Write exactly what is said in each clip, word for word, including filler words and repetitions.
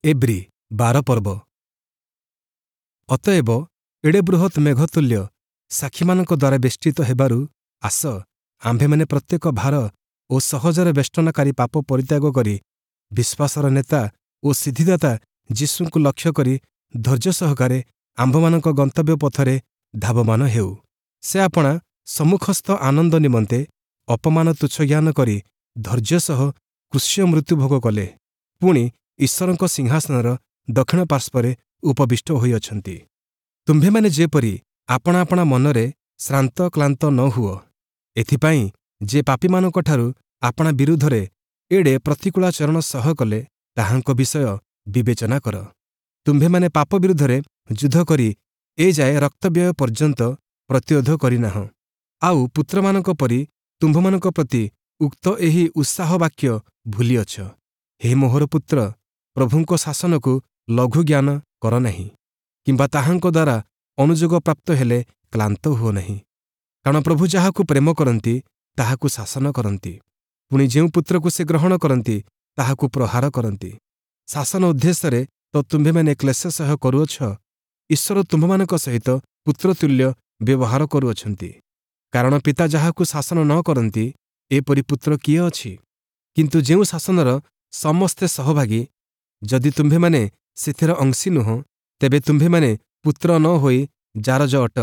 ଏବ୍ରୀ ବାର ପର୍ବ। ଅତଏବ ଏଡ଼େ ବୃହତ୍ ମେଘତୁଲ୍ୟ ସାକ୍ଷୀମାନଙ୍କ ଦ୍ୱାରା ବେଷ୍ଟିତ ହେବାରୁ ଆସ, ଆମ୍ଭେମାନେ ପ୍ରତ୍ୟେକ ଭାର ଓ ସହଜରେ ବେଷ୍ଟନକାରୀ ପାପ ପରିତ୍ୟାଗ କରି ବିଶ୍ୱାସର ନେତା ଓ ସିଦ୍ଧିଦାତା ଯୀଶୁଙ୍କୁ ଲକ୍ଷ୍ୟ କରି ଧୈର୍ଯ୍ୟ ସହକାରେ ଆମ୍ଭମାନଙ୍କ ଗନ୍ତବ୍ୟ ପଥରେ ଧାବମାନ ହେଉ। ସେ ଆପଣା ସମ୍ମୁଖସ୍ଥ ଆନନ୍ଦ ନିମନ୍ତେ ଅପମାନ ତୁଚ୍ଛ ଜ୍ଞାନ କରି ଧୈର୍ଯ୍ୟ ସହ କ୍ରୁଶୀୟ ମୃତ୍ୟୁ ଭୋଗ କଲେ, ପୁଣି ଈଶ୍ୱରଙ୍କ ସିଂହାସନର ଦକ୍ଷିଣ ପାର୍ଶ୍ୱରେ ଉପବିଷ୍ଟ ହୋଇଅଛନ୍ତି। ତୁମ୍ଭେମାନେ ଯେପରି ଆପଣା ଆପଣା ମନରେ ଶ୍ରାନ୍ତ କ୍ଳାନ୍ତ ନ ହୁଅ, ଏଥିପାଇଁ ଯେ ପାପୀମାନଙ୍କଠାରୁ ଆପଣା ବିରୁଦ୍ଧରେ ଏଡ଼େ ପ୍ରତିକୂଳାଚରଣ ସହ୍ୟ କଲେ, ତାହାଙ୍କ ବିଷୟ ବିବେଚନା କର। ତୁମ୍ଭେମାନେ ପାପ ବିରୁଦ୍ଧରେ ଯୁଦ୍ଧ କରି ଏଯାଏ ରକ୍ତବ୍ୟୟ ପର୍ଯ୍ୟନ୍ତ ପ୍ରତିରୋଧ କରିନାହଁ। ଆଉ ପୁତ୍ରମାନଙ୍କ ପରି ତୁମ୍ଭମାନଙ୍କ ପ୍ରତି ଉକ୍ତ ଏହି ଉତ୍ସାହ ବାକ୍ୟ ଭୁଲିଅଛ, ହେ ମୋହର ପୁତ୍ର, ପ୍ରଭୁଙ୍କ ଶାସନକୁ ଲଘୁ ଜ୍ଞାନ କର ନାହିଁ, କିମ୍ବା ତାହାଙ୍କ ଦ୍ୱାରା ଅନୁଯୋଗ ପ୍ରାପ୍ତ ହେଲେ କ୍ଳାନ୍ତ ହୁଅ ନାହିଁ। କାରଣ ପ୍ରଭୁ ଯାହାକୁ ପ୍ରେମ କରନ୍ତି, ତାହାକୁ ଶାସନ କରନ୍ତି, ପୁଣି ଯେଉଁ ପୁତ୍ରକୁ ସେ ଗ୍ରହଣ କରନ୍ତି, ତାହାକୁ ପ୍ରହାର କରନ୍ତି। ଶାସନ ଉଦ୍ଦେଶ୍ୟରେ ତ ତୁମ୍ଭେମାନେ କ୍ଲେଶ ସହ୍ୟ କରୁଅଛ, ଈଶ୍ୱର ତୁମ୍ଭମାନଙ୍କ ସହିତ ପୁତ୍ରତୁଲ୍ୟ ବ୍ୟବହାର କରୁଅଛନ୍ତି। କାରଣ ପିତା ଯାହାକୁ ଶାସନ ନ କରନ୍ତି, ଏପରି ପୁତ୍ର କିଏ ଅଛି? କିନ୍ତୁ ଯେଉଁ ଶାସନର ସମସ୍ତେ ସହଭାଗୀ, ଯଦି ତୁମ୍ଭେମାନେ ସେଥିର ଅଂଶୀ ନୁହଁ, ତେବେ ତୁମ୍ଭେମାନେ ପୁତ୍ର ନ ହୋଇ ଜାରଜ ଅଟ।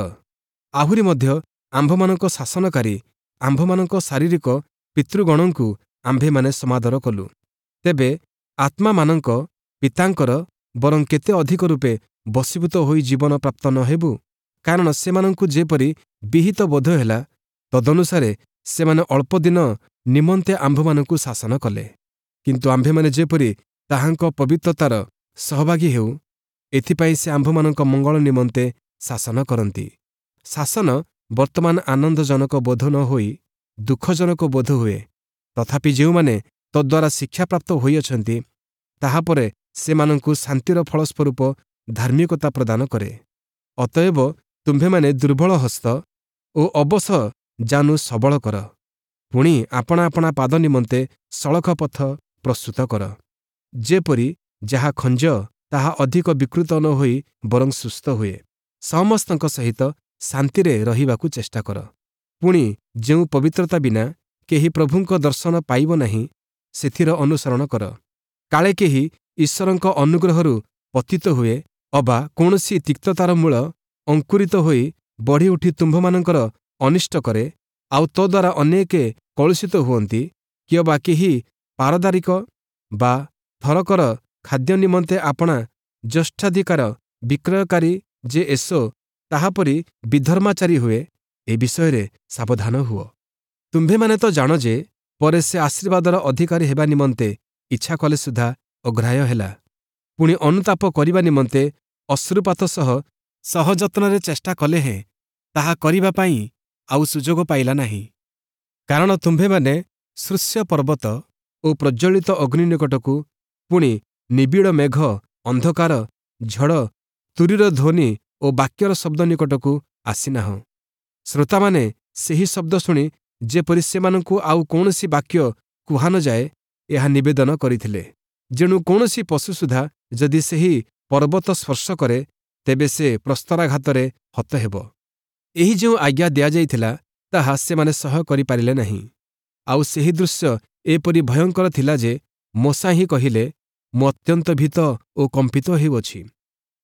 ଆହୁରି ମଧ୍ୟ ଆମ୍ଭମାନଙ୍କ ଶାସନକାରୀ ଆମ୍ଭମାନଙ୍କ ଶାରୀରିକ ପିତୃଗଣଙ୍କୁ ଆମ୍ଭେମାନେ ସମାଦର କଲୁ। ତେବେ ଆତ୍ମାମାନଙ୍କ ପିତାଙ୍କର ବରଂ କେତେ ଅଧିକ ରୂପେ ବଶୀଭୂତ ହୋଇ ଜୀବନ ପ୍ରାପ୍ତ ନ ହେବୁ? କାରଣ ସେମାନଙ୍କୁ ଯେପରି ବିହିତ ବୋଧ ହେଲା, ତଦନୁସାରେ ସେମାନେ ଅଳ୍ପଦିନ ନିମନ୍ତେ ଆମ୍ଭମାନଙ୍କୁ ଶାସନ କଲେ। କିନ୍ତୁ ଆମ୍ଭେମାନେ ଯେପରି ତାହାଙ୍କ ପବିତ୍ରତାର ସହଭାଗୀ ହେଉ, ଏଥିପାଇଁ ସେ ଆମ୍ଭମାନଙ୍କ ମଙ୍ଗଳ ନିମନ୍ତେ ଶାସନ କରନ୍ତି। ଶାସନ ବର୍ତ୍ତମାନ ଆନନ୍ଦଜନକ ବୋଧ ନ ହୋଇ ଦୁଃଖଜନକ ବୋଧ ହୁଏ। ତଥାପି ଯେଉଁମାନେ ତଦ୍ୱାରା ଶିକ୍ଷାପ୍ରାପ୍ତ ହୋଇଅଛନ୍ତି, ତାହାପରେ ସେମାନଙ୍କୁ ଶାନ୍ତିର ଫଳସ୍ୱରୂପ ଧାର୍ମିକତା ପ୍ରଦାନ କରେ। ଅତଏବ ତୁମ୍ଭେମାନେ ଦୁର୍ବଳ ହସ୍ତ ଓ ଅବଶ ଜାନୁ ସବଳ କର, ପୁଣି ଆପଣା ଆପଣା ପାଦ ନିମନ୍ତେ ସଳଖ ପଥ ପ୍ରସ୍ତୁତ କର, ଯେପରି ଯାହା ଖଞ୍ଜ ତାହା ଅଧିକ ବିକୃତ ନ ହୋଇ ବରଂ ସୁସ୍ଥ ହୁଏ। ସମସ୍ତଙ୍କ ସହିତ ଶାନ୍ତିରେ ରହିବାକୁ ଚେଷ୍ଟା କର, ପୁଣି ଯେଉଁ ପବିତ୍ରତା ବିନା କେହି ପ୍ରଭୁଙ୍କ ଦର୍ଶନ ପାଇବ ନାହିଁ, ସେଥିର ଅନୁସରଣ କର। କାଳେ କେହି ଈଶ୍ୱରଙ୍କ ଅନୁଗ୍ରହରୁ ପତିତ ହୁଏ ଅବା କୌଣସି ତିକ୍ତତାର ମୂଳ ଅଙ୍କୁରିତ ହୋଇ ବଢ଼ିଉଠି ତୁମ୍ଭମାନଙ୍କର ଅନିଷ୍ଟ କରେ, ଆଉ ତଦ୍ୱାରା ଅନେକେ କଳୁଷିତ ହୁଅନ୍ତି, କିଅବା କେହି ପାରଦାରିକ ବା ଥରକର ଖାଦ୍ୟ ନିମନ୍ତେ ଆପଣା ଜ୍ୟେଷ୍ଠାଧିକାର ବିକ୍ରୟକାରୀ ଯେ ଏଷୌ ତାହାପରି ବିଧର୍ମାଚାରୀ ହୁଏ, ଏ ବିଷୟରେ ସାବଧାନ ହୁଅ। ତୁମ୍ଭେମାନେ ତ ଜାଣ ଯେ ପରେ ସେ ଆଶୀର୍ବାଦର ଅଧିକାରୀ ହେବା ନିମନ୍ତେ ଇଚ୍ଛା କଲେ ସୁଦ୍ଧା ଅଗ୍ରାହ୍ୟ ହେଲା। ପୁଣି ଅନୁତାପ କରିବା ନିମନ୍ତେ ଅଶ୍ରୁପାତ ସହ ସହଯତ୍ନରେ ଚେଷ୍ଟା କଲେ ହେଁ ତାହା କରିବା ପାଇଁ ଆଉ ସୁଯୋଗ ପାଇଲା ନାହିଁ। କାରଣ ତୁମ୍ଭେମାନେ ସୃଶ୍ୟ ପର୍ବତ ଓ ପ୍ରଜ୍ୱଳିତ ଅଗ୍ନି ନିକଟକୁ, ପୁଣି ନିବିଡ଼ ମେଘ, ଅନ୍ଧକାର, ଝଡ଼, ତୂରୀର ଧ୍ୱନି ଓ ବାକ୍ୟର ଶବ୍ଦ ନିକଟକୁ ଆସିନାହଁ। ଶ୍ରୋତାମାନେ ସେହି ଶବ୍ଦ ଶୁଣି ଯେପରି ସେମାନଙ୍କୁ ଆଉ କୌଣସି ବାକ୍ୟ କୁହା ନ ଯାଏ, ଏହା ନିବେଦନ କରିଥିଲେ। ଯେଣୁ କୌଣସି ପଶୁ ସୁଦ୍ଧା ଯଦି ସେହି ପର୍ବତ ସ୍ପର୍ଶ କରେ, ତେବେ ସେ ପ୍ରସ୍ତରାଘାତରେ ହତ ହେବ। ଏହି ଯେଉଁ ଆଜ୍ଞା ଦିଆଯାଇଥିଲା, ତାହା ସେମାନେ ସହ୍ୟ କରିପାରିଲେ ନାହିଁ। ଆଉ ସେହି ଦୃଶ୍ୟ ଏପରି ଭୟଙ୍କର ଥିଲା ଯେ ମୋଶା ହିଁ କହିଲେ, ମୁଁ ଅତ୍ୟନ୍ତ ଭୀତ ଓ କମ୍ପିତ ହେଉଅଛି।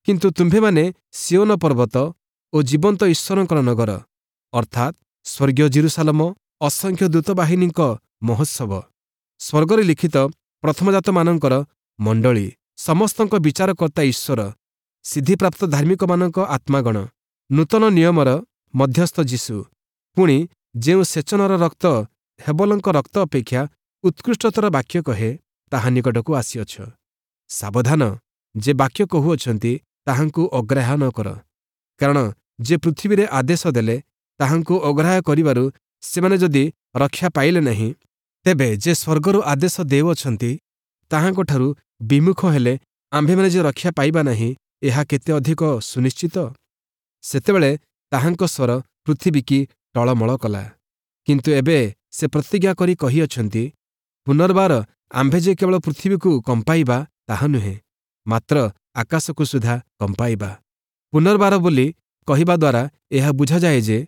କିନ୍ତୁ ତୁମ୍ଭେମାନେ ସିୟୋନ ପର୍ବତ ଓ ଜୀବନ୍ତ ଈଶ୍ୱରଙ୍କର ନଗର, ଅର୍ଥାତ୍ ସ୍ୱର୍ଗୀୟ ଯିରୂଶାଲମ, ଅସଂଖ୍ୟ ଦୂତବାହିନୀଙ୍କ ମହୋତ୍ସବ, ସ୍ୱର୍ଗରେ ଲିଖିତ ପ୍ରଥମଜାତମାନଙ୍କର ମଣ୍ଡଳୀ, ସମସ୍ତଙ୍କ ବିଚାରକର୍ତ୍ତା ଈଶ୍ୱର, ସିଦ୍ଧିପ୍ରାପ୍ତ ଧାର୍ମିକମାନଙ୍କ ଆତ୍ମାଗଣ, ନୂତନ ନିୟମର ମଧ୍ୟସ୍ଥ ଯୀଶୁ, ପୁଣି ଯେଉଁ ସେଚନର ରକ୍ତ ହେବଲଙ୍କ ରକ୍ତ ଅପେକ୍ଷା ଉତ୍କୃଷ୍ଟତର ବାକ୍ୟ କହେ, ତାହା ନିକଟକୁ ଆସିଅଛ। ସାବଧାନ, ଯେ ବାକ୍ୟ କହୁଅଛନ୍ତି ତାହାଙ୍କୁ ଅଗ୍ରାହ୍ୟ ନ କର। କାରଣ ଯେ ପୃଥିବୀରେ ଆଦେଶ ଦେଲେ, ତାହାଙ୍କୁ ଅଗ୍ରାହ୍ୟ କରିବାରୁ ସେମାନେ ଯଦି ରକ୍ଷା ପାଇଲେ ନାହିଁ, ତେବେ ଯେ ସ୍ୱର୍ଗରୁ ଆଦେଶ ଦେଉଅଛନ୍ତି, ତାହାଙ୍କଠାରୁ ବିମୁଖ ହେଲେ ଆମ୍ଭେମାନେ ଯେ ରକ୍ଷା ପାଇବା ନାହିଁ, ଏହା କେତେ ଅଧିକ ସୁନିଶ୍ଚିତ। ସେତେବେଳେ ତାହାଙ୍କ ସ୍ୱର ପୃଥିବୀକି ଟଳମଳ କଲା। କିନ୍ତୁ ଏବେ ସେ ପ୍ରତିଜ୍ଞା କରି କହିଅଛନ୍ତି, ପୁନର୍ବାର ଆମ୍ଭେ ଯେ କେବଳ ପୃଥିବୀକୁ କମ୍ପାଇବା ତାହା ନୁହେଁ, ମାତ୍ର ଆକାଶକୁ ସୁଦ୍ଧା କମ୍ପାଇବା। ପୁନର୍ବାର ବୋଲି କହିବା ଦ୍ୱାରା ଏହା ବୁଝାଯାଏ ଯେ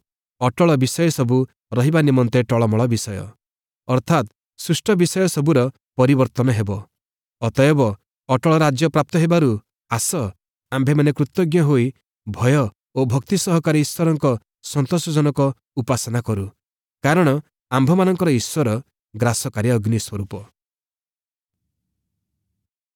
ଅଟଳ ବିଷୟ ସବୁ ରହିବା ନିମନ୍ତେ ଟଳମଳ ବିଷୟ, ଅର୍ଥାତ୍ ସୃଷ୍ଟ ବିଷୟ ସବୁର ପରିବର୍ତ୍ତନ ହେବ। ଅତଏବ ଅଟଳ ରାଜ୍ୟ ପ୍ରାପ୍ତ ହେବାରୁ ଆସ, ଆମ୍ଭେମାନେ କୃତଜ୍ଞ ହୋଇ ଭୟ ଓ ଭକ୍ତି ସହକାରେ ଈଶ୍ୱରଙ୍କ ସନ୍ତୋଷଜନକ ଉପାସନା କରୁ, କାରଣ ଆମ୍ଭମାନଙ୍କର ଈଶ୍ୱର ଗ୍ରାସକାରୀ ଅଗ୍ନି ସ୍ୱରୂପ।